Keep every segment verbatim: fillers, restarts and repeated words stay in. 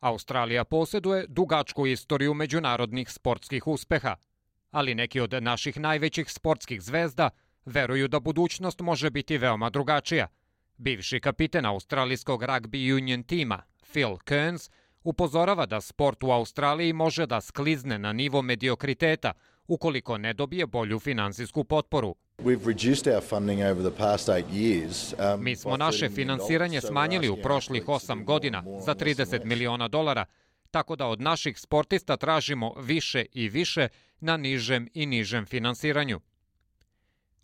Australija posjeduje dugačku istoriju međunarodnih sportskih uspeha, ali neki od naših najvećih sportskih zvezda veruju da budućnost može biti veoma drugačija. Bivši kapiten australijskog rugby union tima, Phil Kearns, upozorava da sport u Australiji može da sklizne na nivo mediokriteta ukoliko ne dobije bolju finansijsku potporu. Mi smo naše finansiranje smanjili u prošlih osam godina za trideset miliona dolara, tako da od naših sportista tražimo više i više na nižem i nižem finansiranju.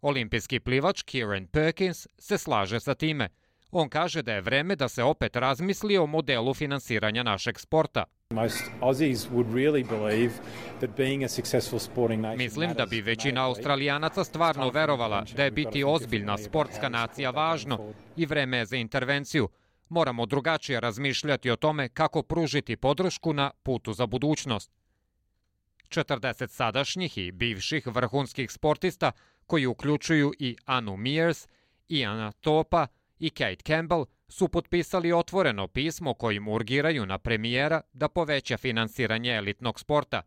Olimpijski plivač Kieran Perkins se slaže sa time. On kaže da je vreme da se opet razmisli o modelu finansiranja našeg sporta. Mislim da bi većina Australijanaca stvarno verovala da je biti ozbiljna sportska nacija važno i vreme je za intervenciju. Moramo drugačije razmišljati o tome kako pružiti podršku na putu za budućnost. četrdeset sadašnjih i bivših vrhunskih sportista, koji uključuju i Anu Mears, Iana Topa i Kate Campbell, su potpisali otvoreno pismo kojim urgiraju na premijera da poveća finansiranje elitnog sporta.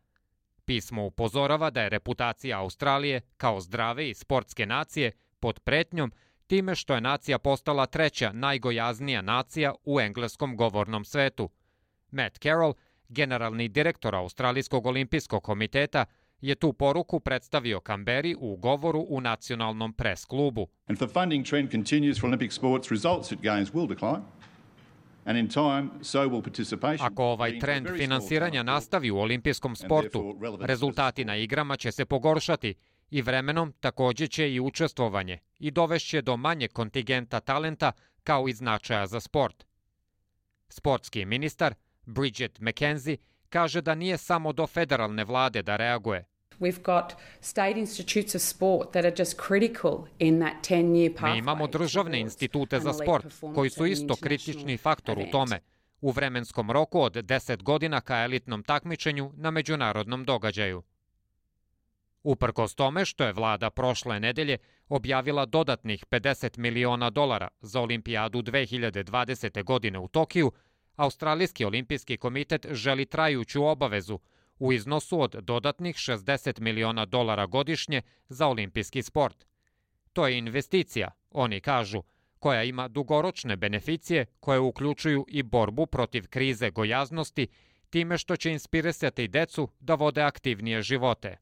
Pismo upozorava da je reputacija Australije kao zdrave i sportske nacije pod pretnjom time što je nacija postala treća najgojaznija nacija u engleskom govornom svetu. Matt Carroll, generalni direktor Australijskog olimpijskog komiteta, je tu poruku predstavio Kamberi u govoru u nacionalnom pres klubu. Ako ovaj trend finansiranja nastavi u olimpijskom sportu, rezultati na igrama će se pogoršati i vremenom također će i učestvovanje i dovešće do manjeg kontingenta talenta kao i značaja za sport. Sportski ministar Bridget McKenzie kaže da nije samo do federalne vlade da reaguje. Mi imamo državne institute za sport koji su isto kritični faktor u tome, u vremenskom roku od deset godina ka elitnom takmičenju na međunarodnom događaju. Uprkos tome što je vlada prošle nedelje objavila dodatnih pedeset miliona dolara za olimpijadu dve hiljade dvadesete. godine u Tokiju, Australijski olimpijski komitet želi trajuću obavezu u iznosu od dodatnih šezdeset miliona dolara godišnje za olimpijski sport. To je investicija, oni kažu, koja ima dugoročne beneficije koje uključuju i borbu protiv krize gojaznosti time što će inspirisati decu da vode aktivnije živote.